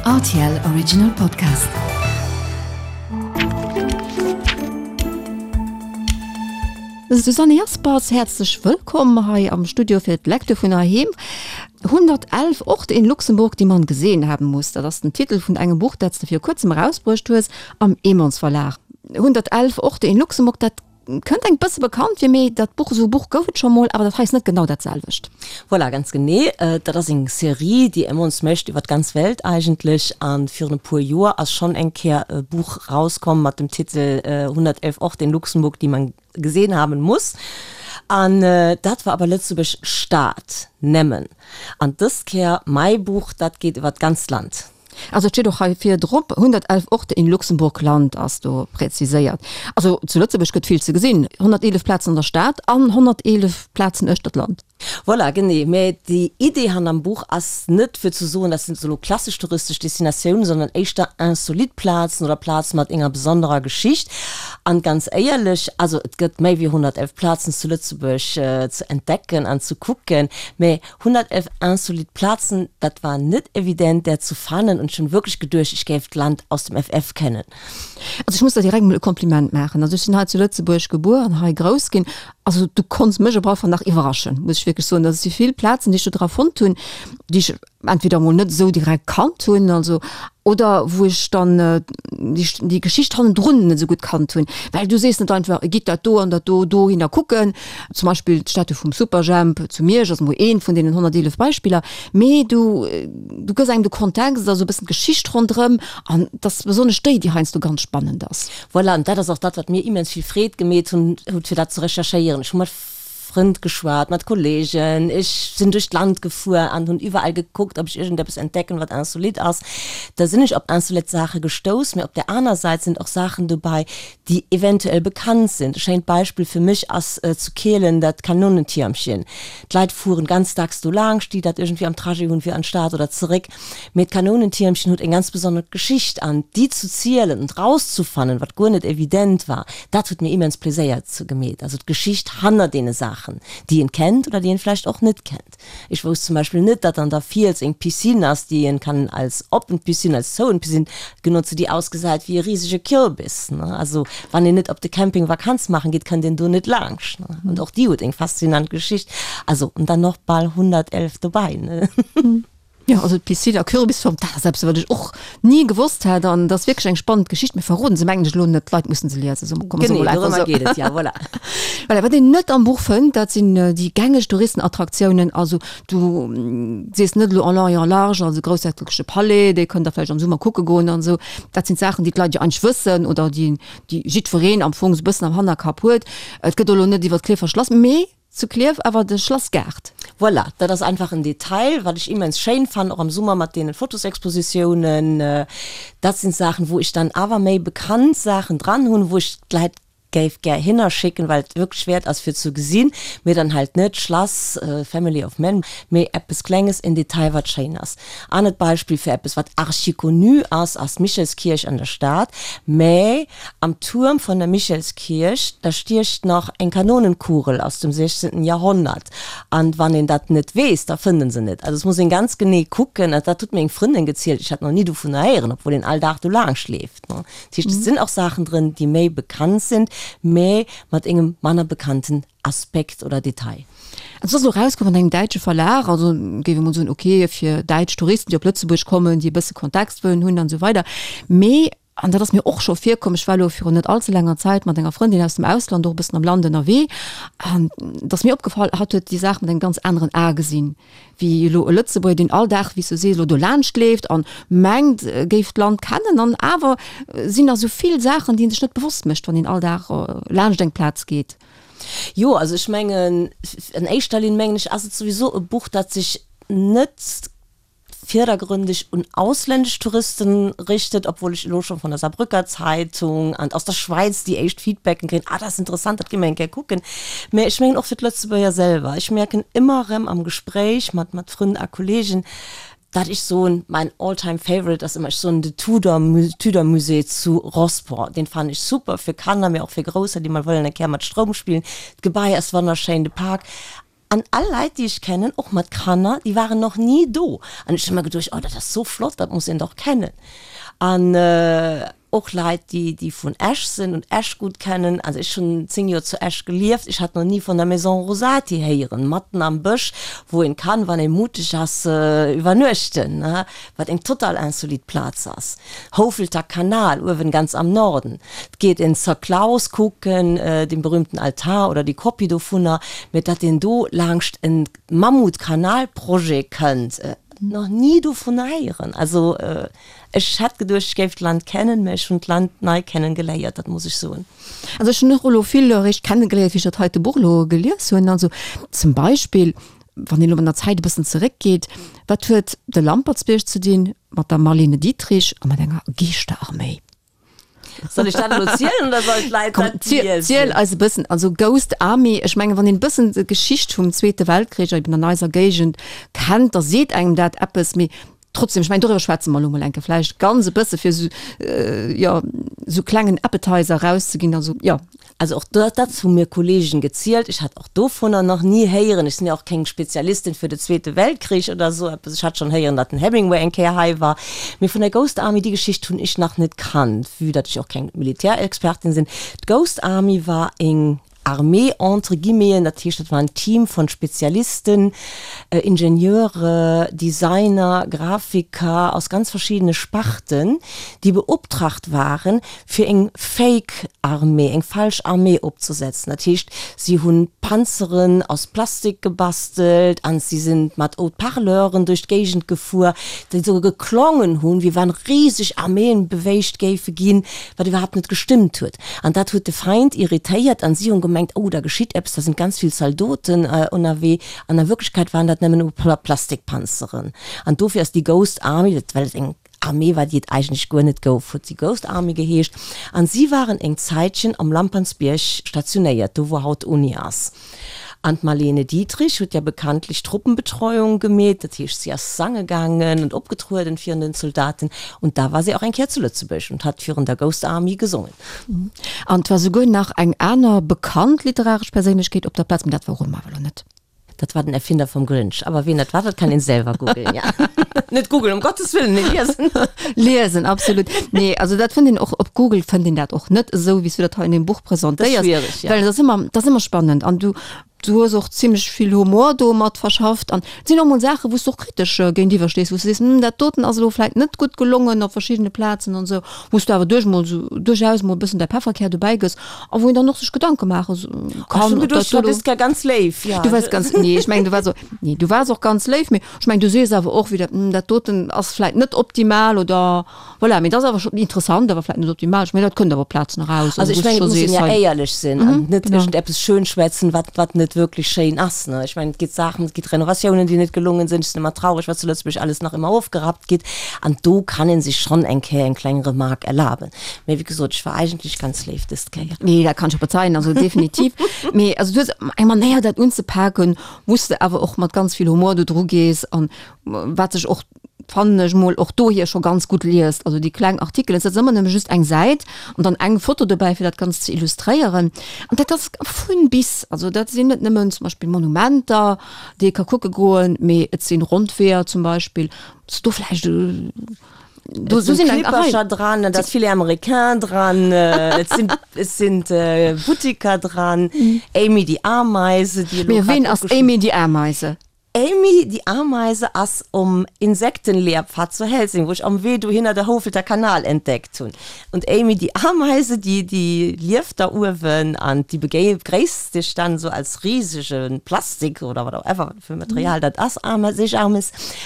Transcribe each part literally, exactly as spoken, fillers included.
R T L Original Podcast. Susanne Jaspers, häerzlech wëllkomm hei am Studio fir d'Lecture vun heiheem. hundertelf Orte in Luxemburg, die man gesehen haben muss. Dat ass den Titel vun engem Buch, dat s de viru kuerzem erausbruecht hues am Emons Verlag. hundertelf Orte in Luxemburg, dat kënnt engem bësse bekannt fir, mee dat Buch, esou e Buch gouf et scho mol, awer dat hei ass net genau dat selwecht. Voilà, ganz genee. Dat ass eng Serie, déi Emons mécht iwwer d'ganz Welt eigentlech. An virun e puer Joer ass schonn eng Kéier e Buch rauskomm mat dem Titel hundertelf Orte in Luxemburg, die man gesehen haben muss. An dat war awer Lëtzebuerg Stad nëmmen. An dës Kéier mäi Buch, dat geet iwwer d'ganzt Land. Also et steet och hei vir drop, hundertelf Orte in Luxemburg Land ass do präziséiert. Also zu Lëtzebuerg gëtt vill ze gesinn, honnerteelef Plazen an der Stad an honnerteelef Plazen uechter d'Land. Voilà, genee. Mä déi Idee hannerm Buch ass net fir ze soen, dat sinn elo klassesch touristesch Destinatiounen, sondern éischter insolite Plazen oder Plaze mat enger besonnerer Geschicht. An ganz éierlech, also et gëtt méi wéi honnertelf Plazen zu Lëtzebuerg ze entdecken an ze kucken, mä honnertelf insolite Plazen, dat war net evident där ze fannen an ech hunn wierklech geduecht, ech géif d'Land aus dem F F kennen. Also ech muss der direkt emol e Kompliment maachen. Also ech sinn hei zu Lëtzebuerg gebuer an hei grouss ginn. Also du konns mech op alle Fall nach iwwerraschen, muss ech wierklech soen. Also et si vill Plazen, déi ech do dra fonnt hunn, déi ech entweder emol net esou direkt kannt hunn, also oder wou ech dann déi, déi Geschicht hannendrun net esou gutt kannt hunn. Well du sees net einfach, gitt dat do an dat do dohinner kucken, zum Beispill d'Statue vum Superjhemp zu Miersch ass emol eent vun deenen honnerteelef Beispiller, mee du, du gëss engem de Kontext, also e bëssen d'Geschicht ronderëm an et ass besonnesch déi, déi heiansdo ganz spannend ass. Voilà, an dat ass och dat, wat mir immens vill Freed gemeet hunn, huet, fir dat ze recherchéieren. Ech hu mat Frënd geschwat, mat Kollegen, ech sinn duerch d'Land gefuer an hunn iwwerall gekuckt, ob ech iergendeppes entdecken, wat insolite ass. Da sinn ech op insolite Saache gestouss, mee op där aner Säit sinn och Saachen dobäi, déi eventuell bekannt sinn. E schéint Beispill fir mech ass zu Kehlen dat Kanonentiermchen. D'Leit fueren ganz dacks do laangscht, déi dat iergendwéi am Trajet hunn fir an d'Stad oder zeréck. Mee d'Kanonentiermchen huet eng ganz besonnesch Geschicht an déi zu zielen und rauszufannen, wat guer net evident war, dat huet mir immens Pleséier gemeet. Also d'Geschicht hanner deene Saachen, déi een kennt oder déi een vläicht och net kennt. Ech wousst zum Beispill net, datt an der Fiels eng Piscine ass, déi een kann als oppen Piscine, als zouen Piscine genotzen, déi ausgesäit wéi e risege Kürbis, ne. Also wann een net op de Camping Vakanz maachen geet, kënnt een do net laanscht, ne. Und och déi huet eng faszinant Geschicht. Also, und dann noch bal honnertelf dobäi, ne. Jo, also d'Piscine a Kürbisform, dat ass eppes, wat ech och ni gewosst hat an dat ass wierklech eng spannend Geschicht. Mir verroden se mengen ech elo net, d'Leit mussen se liesen, so komme se Genee, mol einfach dorëmmer sou. geet et, ja, voilà. Voilà, wat een net am Buch fënnt, dat sinn déi gängeg Touristenattraktiounen. Also du sees net elo en long et en large, also groussherzogleche Palais, dee kënnt der vläicht am Summer kucke goen an esou. Dat sinn d'Saachen, déi d'Leit jo eigentlech wëssen oder déi, déi jiddwereen am Fong esou e bëssen am Hannerkapp huet. Et gëtt elo net iwwer d'Klierfer Schlass, mee zu Klierf awer de Schlassgaart. Voilà, dat ass einfach en Detail, wat ech immens schéin fannen, och am Summer mat deenen Fotosexpositiounen. Dat sinn Saachen, wou ech dann awer méi bekannt Saachen dran hunn, wou ech d'Leit géif gär hinner schécken, well et wierklech wäert ass fir ze gesinn, mee dann halt net Schlass Family of Men, mee eppes Klenges, en Detail, wat schéin ass. Anert Beispill fir eppes wat archiconnu ass, ass d'Michelskierch an der Stad, mä am Tuerm vun der Michelskierch, da stiecht nach eng Kanonenkugel aus dem sechzehnten Jahrhundert an wann een dat net weess, da fënnt en se net. Also et muss een ganz genee kucken, dat huet mir eng Frëndin gezielt, ech hat nach ni dovunner héieren, obwuel een all Dag do laangscht leeft. Dat heescht, et sinn och Saachen drënn, déi méi bekannt sinn, mä mat engem manner bekannten Aspekt oder Detail. Also et ass elo erauskomm an engem däitsche Verlag, also géif ee mol soen, okay, fir däitsch Touristen, déi op Lëtzebuerg kommen, déi e bësse Kontext wëllen hunn an esou weider. Mee, an dat ass mir och scho virkomm, ech war elo virun net allze laanger Zäit mat enger Frëndin aus dem Ausland och e bëssen am Land ënnerwee, an et ass mir opgefall, hatt huet déi Saach mat engem ganz aneren A gesinn, wéi elo e Lëtzebuerger, deen all Dag, wéi s du sees, elo do laanscht leeft an mengt, e géif d'Land kennen. An awer sinn nach esou vill Saachen, déi een sech net bewosst mécht, wann een all Dag laanscht eng Plaz geet. Jo, also ech mengen, an éischter Linn mengen ech, ass et souwisou e Buch, dat sech net virdergründeg un ausländesch Touristen richtet, obwuel ech elo scho vun der Saarbrücker Zeitung an aus der Schwäiz déi éischt Feedbacken kréien, ah dat ass interessant, dat gi mer eng Kéier kucken. Mä ech mengen och fir d'Lëtzebuerger selwer. Ech mierken ëmmer erëm am Gespréich mat mat Frënn a Kollegen, dat ech soen, mein all-time favorite ass ëmmer, ech soen de Tudor Tudor Musée zu Rosport, deen fannen ech super fir Kanner, mä och fir Grousser, déi mol wëllen eng Kéier mat Stroum spillen. D'Gebai ass wonnerschéin, de Park. An all Leit, déi ech kennen, och mat Kanner, déi waren nach ni do. An ech hu mer geduecht, oh, dat ass sou flott, dat muss een dach kennen. An och Leit, déi, déi vun Esch sinn und Esch gutt kennen, also ech hunn zéng Joer zu Esch gelieft, ech hat nach ni vun der Maison Rosati héieren, matten am Bësch, wou een kann, wann ee muteg ass, iwwernuechten, ne, wat eng total insolite Plaz ass. Houfelter Kanal, uewen ganz am Norden. 't geet een Sir Klaus kucken, dee berühmten Altar oder déi Kopie dovunner, mä datt een do laangscht e Mammutkanalprojet kënnt, nach ni dovunner héieren. Also ech hätt geduecht, ech géif d'Land kennen, mä ech hunn d'Land nei kennen geléiert, dat muss ech soen. Also ech hunn och elo vill eréischt kennegeléiert, wéi ech dat heite Buch elo gelies hunn. Also zum Beispill, wann een elo an der Zäit e bëssen zeréckgeet, wat huet de Lampertsbierg ze dinn mat der Marlene Dietrich a mat enger Geeschterarméi? Soll ech dat elo zielen oder sollen d'Leit Komm, dat ziel, liesen? ziel eis e bëssen. Also Ghost Army, ech mengen, wann een e bëssen d'Geschicht vum Zweete Weltkrich eben an eiser Géigend kennt, da seet engem dat eppes, mee trotzdem, ech mengen, doriwwer schwätze mer elo mol eng Kéier vläicht ganz e bësse fir esou, jo, esou klengen Appetizer erauszeginn, also jo. Also och dat, dat hu mir Kollegen gezielt. Ech hat och dovunner nach ni héieren. Ech sinn jo och keng Spezialistin fir de Zweete Weltkrich oder esou eppes. Ech hat schonn héieren, datt den Hemingway eng Kéier hei war. Mee vun der Ghost Army, déi Geschicht hunn ech nach net kannt, vue datt ech och keng Militärexpertin sinn. D'Ghost Army war eng Armee entre guillemeten, dat heescht, dat war en Team von Spezialisten, Ingenieure, Designer, Grafiker aus ganz verschiddene Sparten, déi beoptraagt waren, fir eng Fake Armee, eng falsch Armee opzesetzen. Dat heescht, si hunn Panzeren aus Plastik gebastelt an si sinn mat Haut-parleuren duerch d'Géigend gefuer, déi esou geklongen hunn, wéi wann riseg Arméen bewéigt géife ginn, wat iwwerhaapt net gestëmmt huet. An dat huet de Feind irritéiert an si hunn gemengt, oh, da geschitt eppes, da sinn ganz vill Zaldoten ënnerwee. An a Wierklechkeet waren dat nëmmen e puer Plastikpanzeren. An dofir ass déi Ghost Army, well et eng Armee war, déi et eigentlech guer net gouf, huet si Ghost Army geheescht. An si waren eng Zäitchen am Lampertsbierg stationéiert, do wou haut d'Uni ass. An d'Marlene Dietrich huet ja bekanntlech Truppenbetreuung gemeet, dat heescht si ass sange gaangen und opgetrueden virun den Soldaten. Und da war si och eng Kéier zu Lëtzebuerg und hat virun der Ghost Army gesongen. An 't war souguer nach eng aner bekannt literaresch Perséinlechkeet op der Plaz, mee dat verrode mer awer elo net. Dat war den Erfinder vum Grinch. Aber wien dat war, dat kann een selwer googlen, ja. Net googlen, um Gottes Willen, nee, liesen. Liesen, absolut. Nee, also dat fënnt een och, op Google fënnt een dat och net esou, wéi s du dat hei an deem Buch Dat ass presentéiers. schwierig, ja. Well et ass ëmmer, dat ass ëmmer spannend an du, du hues och zimlech vill Humor do mat verschafft an et sinn och mol Saachen, wou s du och kritesch géintiwwer stees, wou s du sees, hm, dat doten ass elo vläicht net gutt gelongen op verschiddene Plazen an esou, wou s du awer duerch mol esou, duerchaus mol e bëssen däi Pefferkär dobäi gëss a wou een dann och sech Gedanke maache Ach, kann, schon ob dat geduecht, do du elo. bist gar ganz léif, ja. Du waars ganz, nee, ech mengen, du waars och, nee, du waars och ganz léif, mee ech mengen, du sees awer och wieder, hm, dat doten ass vläicht net optimal oder voilà, mee dat ass awer scho interessant, awer vläicht net optimal. Ech mengen, dat kënnt awer op Plazen eraus, Also also ech wou s du mengen, et scho muss een sees, ja hei, éierlech sinn an mhm, net genau. iergendeppes schönschwätzen, wat, wat net wierklech schéin ass, ne. Ech mengen, et gitt Saachen, et gitt Renovatiounen, déi net gelongen sinn. Ech sinn ëmmer traureg, wat zu Lëtzebuerg alles nach ëmmer ofgerappt gitt. An do kann een sech schonn eng Kéier eng kleng Remark erlaben. Mee wéi gesot, ech war eigentlech ganz léif dëst Kéier. Nee, dat kann ech och bezeien, also definitiv. Mee also du hues eng Manéier dat unzepaken, wou s de awer och mat ganz vill Humor do dru gees an wat sech och, fannen ech mol, och dohier scho ganz gutt liest. Also déi kleng Artikelen, et ass ëmmer nëmme just eng Säit an dann eng Foto dobäi fir dat Ganzt ze illustréieren. An dat ass vun bis, also dat sinn net nëmmen zum Beispill Monumenter, déi ee ka kucke goen, mee et sinn Rondweeër zum Beispill, s do vläicht do Et do sinn sinn eng Rei. Klippercher dran, et ass Filet américain dran, et sinn et sinn Buttiker dran, Amy die Ameise, déi elo Mee grad ween ass opgeschriwwen. Amy die Ameise? Amy die Ameise ass um Insektenlehrpfad zu Helsing, wou ech am Wee dohinner de Houfelter Kanal entdeckt hunn. Und Amy die Ameise, déi déi lieft da uewen an déi begréisst dech dann esou als risege Plastik oder whatever wat fir Material dat ass, Ameis.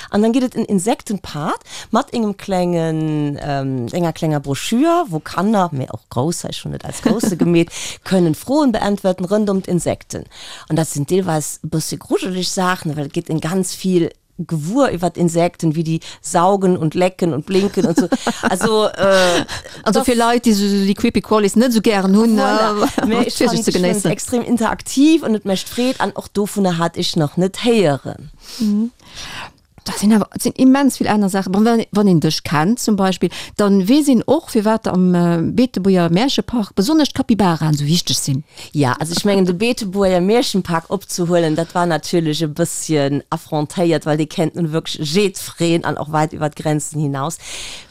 An dann gëtt et en Insektenpad mat engem klengen, enger klenger Broschür, wou Kanner, mee och Grousser, ech hunn et als Grousse gemeet, kënnen Froen beäntwerten rënd ëm d'Insekten. An dat sinn deelweis e bësse grujeleg Saachen, well et geet een ganz vill gewuer iwwer d'Insekten, wéi déi saugen und lecken und blinken und so. Also, äh, Also fir Leit, déi sou déi Creepy Crawlies net sou gären hunn, voilà. Mee ech fir sech fand, ze ech fand genéissen. extrem interaktiv an et mécht Freed an och dovunner hat ech nach net héieren. Dat sinn awer, et sinn immens vill aner Saachen. Bon, wann, wann een dech kennt zum Beispill, dann weess een och, firwat am Beetebuerger Märchepark besonnesch d'Capybaraen esou wichteg sinn. Ja, also ech mengen, de Beetebuerger Märchenpark opzehuelen, dat war natierlech e bësschen affrontéiert, well dee kennt nun wierklech jiddwereen an och wäit iwwer d'Grenzen hinaus.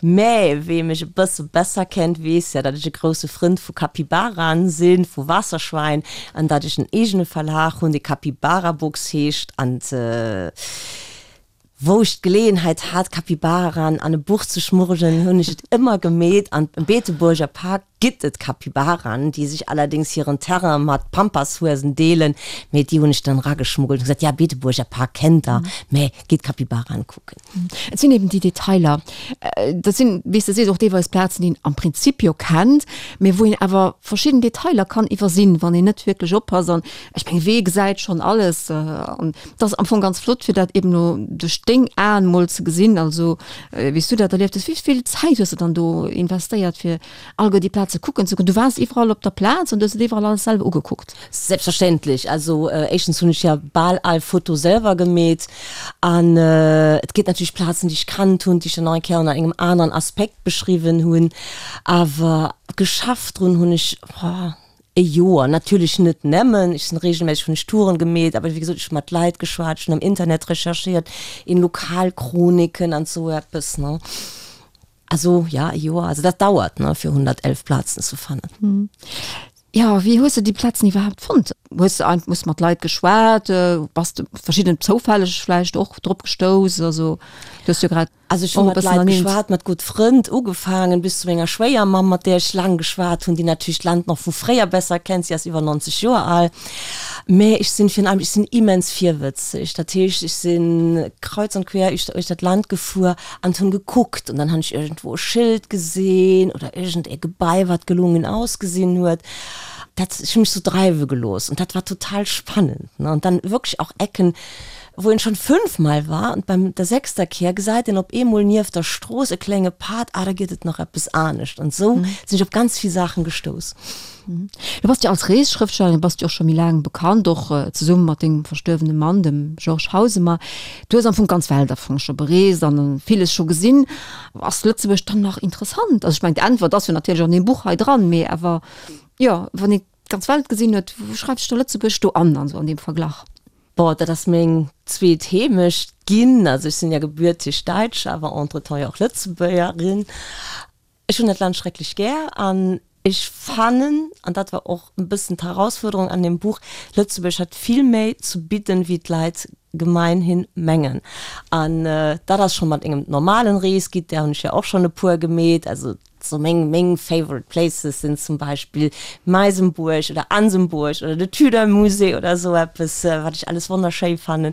Mä wee mech e bësse besser kennt, weess ja, datt ech e grousse Frënd vu Capybaraen sinn, vu Waasserschwäin, an datt ech en eegene Verlag hunn, dee Capybara Books heescht. An wou ech d'Geleeënheit hat, Capybaraen an e Buch ze schmuggelen, hunn ech et ëmmer gemeet. An am Beetebuerger Park gitt et Capybaraen, déi sech allerdéngs hiren Terrain mat Pampashuesen deelen, mee déi hunn ech dann erageschmuggelt und gesat, ja, Beetebuerger Park kennt der, mä gitt Capybaraen kucken. Et sinn eben déi Detailer. Dat sinn, wéi s de sees, och deelweis Plazen, déi een am Prinzip jo kennt, mee wou een awer verschidden Detailer kann iwwersinn, wann een net wierklech oppasst. An ech mengen, wee gesäit schonn alles? An et ass am Fong ganz flott, fir dat eben elo duerch deng Aen mol ze gesinn, also wéi s du dat erlieft hues. Wéi vill Zäit hues de dann do investéiert, fir alleguer déi Plaze kucken ze goen? Du waars iwwerall op der Plaz an du hues et iwwerall alles selwer ugekuckt? Selbstverständlech. Also éischtens hunn ech jo bal all Foto selwer gemeet. An et gétt natierlech Plazen, déi ech kannt hunn, déi ech dann nach eng Kéier ënner engem aneren Aspekt beschriwwen hunn. Awer geschafft drun hunn ech, E Joer, natierlech net nëmmen, ech sinn reegelméisseg, hunn ech Touren gemeet, awer wéi gesot, ech hu mat Leit geschwat, ech hunn am Internet recherchéiert, in Lokalchroniken an esou eppes, ne. Also ja, e Joer, also dat dauert, ne, fir hundertelf Plazen ze fannen. Jo, wéi hues de déi Plazen iwwerhaapt fonnt? Hues de einfach, hues mat Leit geschwat, bass de verschidden zoufälleg vläicht och drop gestouss? Also du hues jo grad. Also ech hu mat Leit geschwat, mat gutt Frënd, ugefaangen bis zu menger Schwéiermamm, mat där ech laang geschwat hunn, déi natierlech d'Land nach vu fréier besser kennt, si ass iwwer nonzeg Joer al. Mä ech sinn virun allem, ech sinn immens virwëtzeg, dat heescht, ech si kreuz und quer uechter d'Land gefuer an hunn gekuckt an dann hunn ech iergendwou e Schëld gesinn oder iergend e Gebai, wat gelungen ausgesinn huet. Dat, ech hu mech sou dreiwe gelooss an dat war total spannend, ne. An dann wierklech och Ecken, wou een schon fünf Mal war an beim der sechster Kéier gesäit een op eemol nieft der Strooss e klenge Pad, ah da gëtt et nach eppes anescht an esou sinn ech op ganz vill Saachen gestouss. Du bass jo als Reesschrëftstellerin bass du och scho méi laang bekannt, och zesumme mat dengem verstuerwene Mann, dem Georges Hausemer. Du hues am Fong d'ganz Welt am Fong scho bereest an villes scho gesinn. Ass Lëtzebuerg dann nach interessant? Also ech mengen d'Äntwert ass jo natierlech an deem Buch hei dran, mee awer jo, wann een d'ganz Welt gesinn huet, wou schreift sech da Lëtzebuerg do an, an esou an deem Verglach? Bon, dat ass meng zweet Heemecht ginn. Also ech sinn ja gebürtig Däitsch, awer entretemps jo och Lëtzebuergerin. Ech hunn dat Land schrecklech gär an ech fannen, an dat war och e bëssen d'Herausfuerderung an deem Buch, Lëtzebuerg hat vill méi ze bidden, wéi d'Leit gemeinhin mengen. An dat ass scho mat engem normalen Reesguide, där hunn ech jo och schonn e puer gemeet, also So meng meng favorite places sinn zum Beispill Meisenbuerg oder Ansembuerg oder de Tudor Musée oder esou eppes, wat ech alles wonnerschéi fannen.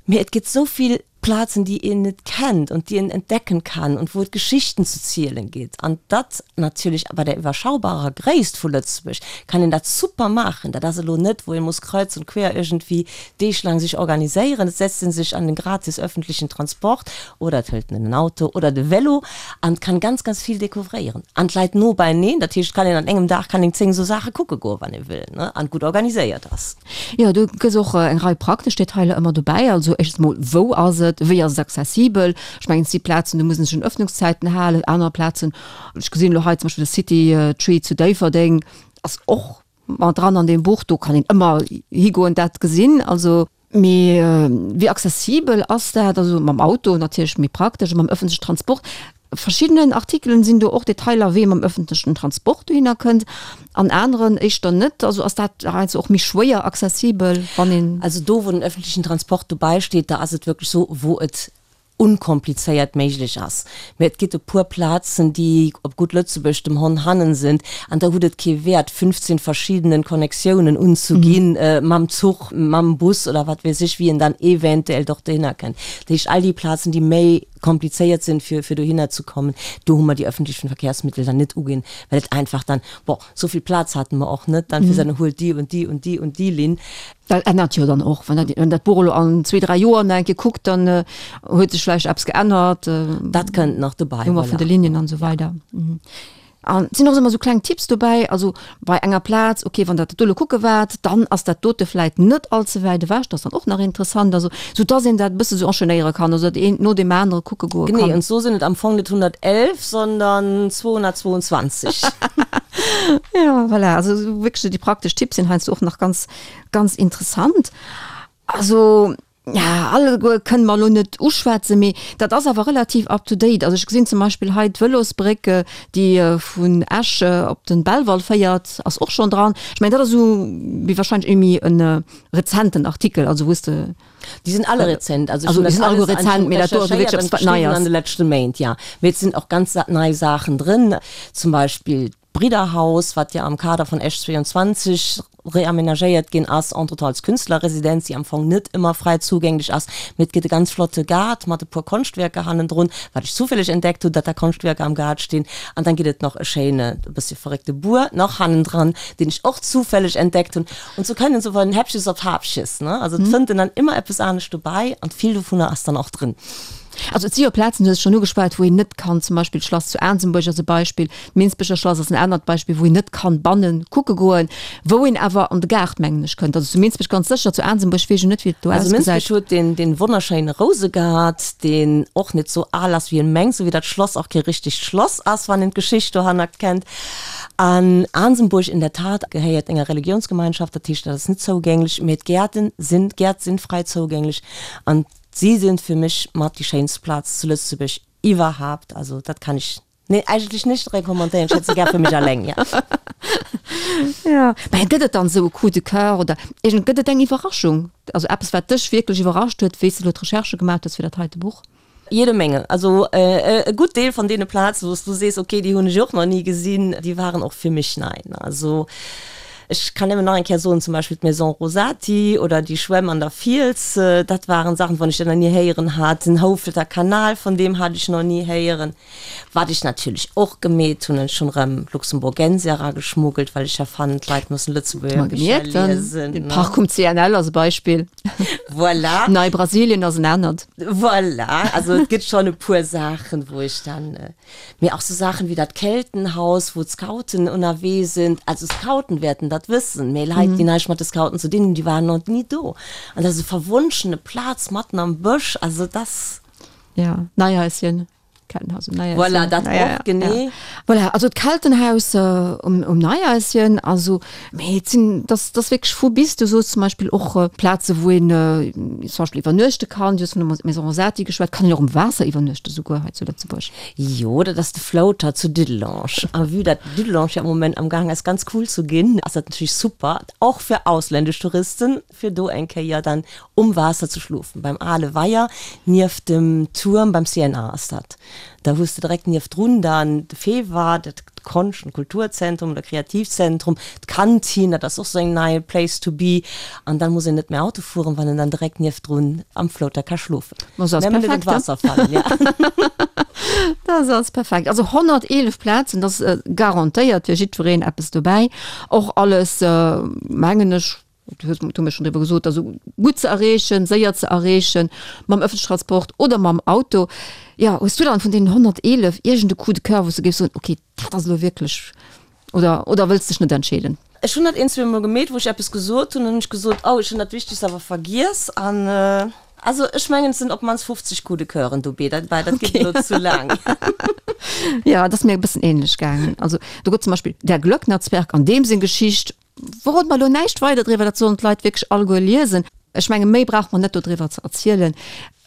Mee et gëtt esou vill Plazen, déi een net kennt und déi een entdecken kann und wou et Geschichten ze zielen gitt. An dat natierlech bei der iwwerschaubarer Gréisst vu Lëtzebuerg kann een dat super maachen. Dat ass elo net, wou ee muss kreuz und quer iergendwéi deeglaang sech organiséieren. Et setzt ee sech an den gratis öffentlichen Transport oder et hëlt en en Auto oder de Vélo an kann ganz, ganz vill découvréieren. An d'Leit no beieneen, dat heescht, et kann een an engem Dag kann een zéng esou Saache kucke goen, wann ee wëll, ne, an gutt organiséiert ass. Jo, du gëss och eng Rei praktesch Detailer ëmmer dobäi. Also éischtens mol, wou ass et, wéi ass et accessibel? Ech mengen, et si Plazen, do muss een sech un Ëffnungszäiten halen, aner Plazen, ech gesinn elo hei zum Beispill de City Tree zu Déifferdeng ass och mat dran an deem Buch, do kann een ëmmer higoen, dat gesinn. Also. Mee wéi accessibel ass dat? Also mam Auto natierlech méi praktesch, mam ëffentlechen Transport. Verschiddenen Artikelen sinn do och Detailer, wéi ee mam ëffentlechen Transport dohinner kënnt, an aneren éischter net. Also ass dat heiansdo och méi schwéier accessibel, wann een. Also do, wou den ëffentlechen Transport dobäi steet, da ass et wierklech esou, wou et unkomplizéiert méiglech ass. Mä et gitt e puer Plazen, déi op gutt Lëtzebuergesch dem Honn hannen sind, an da hutt et kee Wäert, fünfzehn verschiedenen Connectiounen unzuginn, mam Zuch, mam Bus oder wat weess ech, wéi een dann eventuell doch dohinner kënnt. Dat heescht, all déi Plazen, déi méi komplizéiert sinn, fir, fir dohinner ze kommen, do hu mer déi öffentlichen Verkehrsmittel dann net uginn, well et einfach dann, bon, esou vill Plaz hate mer och net dann, fir ze soen, huelt déi und déi und déi und déi Linn. Dat ännert jo dann och, wann dat, wann dat Buch elo an zwee, dräi Joer nach eng Kéier kuckt, dann huet sech vläicht eppes geännert. Dat kënnt nach dobäi, Nummer vun de voilà. Linien an esou weider. An et sinn och ëmmer sou kleng Tipps dobäi, also bei enger Plaz, okay, wann Der dat do elo kucke waart, dann ass dat dote vläit net all ze wäit ewech, dat ass dann och nach interessant, also sou dass een dat e bësse sou enchaînéiere kann, also datt een no deem anere kucke goe kann. Genee, an sou sinn et am Fong net honnertelf, sondern zweihundertzweiundzwanzig. Ja, voilà, also sou wierklech sou déi praktesch Tipps sinn heiansdo och nach ganz, ganz interessant. Also, ja, alleguer kënne mer elo net uschwätzen, mee dat ass awer relativ up to date. Also ech gesinn zum Beispill hei d'Vëlosbréck, déi vun Esch op de Belval féiert, ass och schonn dran. Ech mengen, dat ass esou wéi wahrscheinlech iergendwéi e rezenten Artikel, also wou s de. Déi sinn alle rezent, also ech hunn dat alles rezent, mee dat do ass wierklech eppes wat nei ass. An de leschte Méint, ja. Mee et sinn och ganz nei Saachen drin, zum Beispill d'Bridderhaus, wat jo am Kader vun Esch zweiundzwanzeg reamenagéiert ginn ass, entretemps als Künstlerresidenz, déi am Fong net ëmmer fräi zougänglech ass, mee et gëtt e ganz flotte Gaart mat e puer Konschtwierker hannendrun, wat ech zufälleg entdeckt hunn, datt da Konschtwierker am Gaart stinn. An dann gëtt et nach e schéine, e bëssche verréckte Buer nach hannendran, deen ech och zufälleg entdeckt hunn. Und sou kënnen sou von Häppches op Häppches, ne? Also et fënnt en dann ëmmer eppes anescht dobäi an vill dovunner ass dann och drin. Also et si jo Plazen, du hues et schonn ugeschwat, wou een net kann, zum Beispill d'Schlass zu Aansembuerg ass e Beispill, d'Minsbecher Schlass ass en anert Beispill, wou een net kann bannen kucke goen, wou een awer an de Gaart, mengen ech, kënnt. Also zu Minsbech ganz sécher, zu Aansembuerg weess ech net, wéi et do ausgesäit. Also Minsbech huet deen, deen wonnerschéine Rousegaart, deen och net sou al ass, wéi een mengt, sou wéi dat Schlass och kee richtegt Schlass ass, wann een d'Geschicht dohannert kennt. An Aansembuerg in der Tat gehéiert enger Religionsgemeinschaft, dat heescht, dat ass net zougänglech, mee d'Gäerten sinn, d'Gäert sinn fräi zougänglech an Si sinn fir mech mat déi schéinst Plaz zu Lëtzebuerg iwwerhaapt. Also dat kann ech, nee, eigentlech nicht recommandéieren. Ech hätt se gär fir mech alleng, ja. Ja, mä gëtt et dann esou e Coup de cœur oder iergend, gëtt et eng Iwwerraschung? Also eppes, wat dech wierklech iwwerrascht huet, wéi s de elo d'Recherchë gemaach hues fir dat heite Buch? Jede Menge. Also e gutt Deel van deene Plazen, wou s du sees, okay, déi hunn ech och nach ni gesinn, déi waren och fir mech nei. Also ech kann nëmmen nach eng Kéier soen, zum Beispill d'Maison Rosati oder déi Schwämm an der Fiels, dat waren Saachen, vun ech nach ni héieren hat. Den Houfelter Kanal, vun deem hat ech nach ni héieren. Wat ech natierlech och gemeet hunn, ech hunn erëm Luxemburgensia erageschmuggelt, well ech ja fannen, d'Leit mussen Lëtzebuerger Bicher liesen. Den Park um C N L ass e Beispill. Voilà. Nei Brasilien ass en anert. Voilà, also et gëtt schonn e puer Saachen, wou ech dann, mee och sou Saachen wéi dat Keltenhaus, wou d'Scouten ënnerwee sinn. Also Scouten wäerten dat wëssen, mee Leit, déi näischt mat de Scouten ze dinn hunn, déi waren nach ni do. An dat ass e verwonschene Plaz matten am Bësch, also dat ass. Ja, Neihaischen. Keltenhaus um Neihaischen. Voilà, dat och, genee. Ja. Voilà, also d'Keltenhaus um, um Neihaischen, also, mee et sinn, dat ass wierklech vu bis. Du soos zum Beispill och Plaze wou een zum Beispill iwwernuechte kann. Du hues vun der Maison Rosati geschwat. Kann een och um Waasser iwwernuechte souguer hei zu Lëtzebuerg? Jo, dat ass de Floater zu Dudelange. A vue dat Dudelange jo am Moment am Gaang ass ganz cool zu ginn, ass dat natierlech super, och fir ausländesch Touristen, fir do eng Kéier dann um Waasser ze schlofen. Beim ale Weier nieft dem Tuerm beim C N A ass dat. Da hues de direkt niefdrun dann de FEWA, dat Konscht und Kulturzentrum oder Kreativzentrum, d'Kantin, dat ass och sou eng nei Place to be. An dann muss een net méi Auto fueren, wann en dann direkt niefdrun am Floater ka schlofen. Ma se ass Nëmmen net an perfekt, ne? d'Waasser falen, ja. Dat ass perfekt. Also honnerteelef Plazen, dat ass garantéiert fir jiddwereen eppes dobäi. Och alles, mengen ech, du hues du mir schon driwwer gesot, also gutt ze erreechen, séier ze erreechen, mam ëffentlechen Transport oder mam Auto. Jo, hues du dann vun deenen honnerteelef iergend e Coup de cœur, wou s du géifs soen, okay, dat ass elo wierklech, oder, oder wëlls dech net entscheeden? Ech hunn dat een, zwee Mol gemeet, wou ech eppes gesot hunn, dann hunn ech gesot, oh, ech hunn dat Wichtegst awer vergiess an, also ech mengen, et sinn op d'mannst fofzeg Coup de coeuren dobäi, dat dat geet elo zu laang. Jo, et ass mir e bëssen ähnlech gaangen. Also do gëtt zum Beispill Der Glöcknerzwerg an deem seng Geschicht, Verrode mer elo näischt weider driwwer, dat sollen d'Leit wierklech alleguer liesen. Ech menge méi brauche mer net dodriwwer ze erzielen.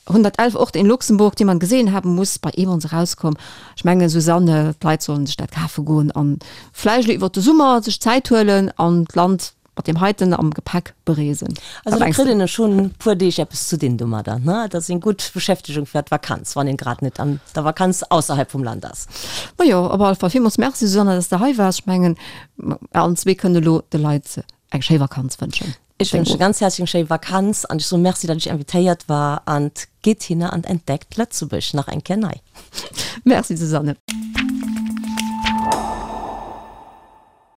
Hundertelf Orte in Luxemburg, die man gesehen haben muss, bei Emons erauskomm. Ech mengen, Susanne, d'Leit sollen sech dat kafe goen an vläicht elo iwwert de Summer sech Zäit huelen an d'Land mat deem heiten am Gepäck bereesen. Also da kritt een e schonn puer Deeg eppes ze dinn domadder, ne? Dat ass eng gutt Beschäftegung fir d'Vakanz, wann een grad net an der Vakanz ausserhalb vum Land ass. Majo, op alle Fall villmools Merci, Susanne, dass de hei waars. Ech mengen, mer allen zwee kënnen elo de Leit eng schéi Vakanz wënschen. Ech wënsche ganz häerzlech eng schéi Vakanz an ech soe Merci, datt ech invitéiert war an gitt hinner an entdeckt Lëtzebuerg nach eng Kéier nei. Merci, Susanne.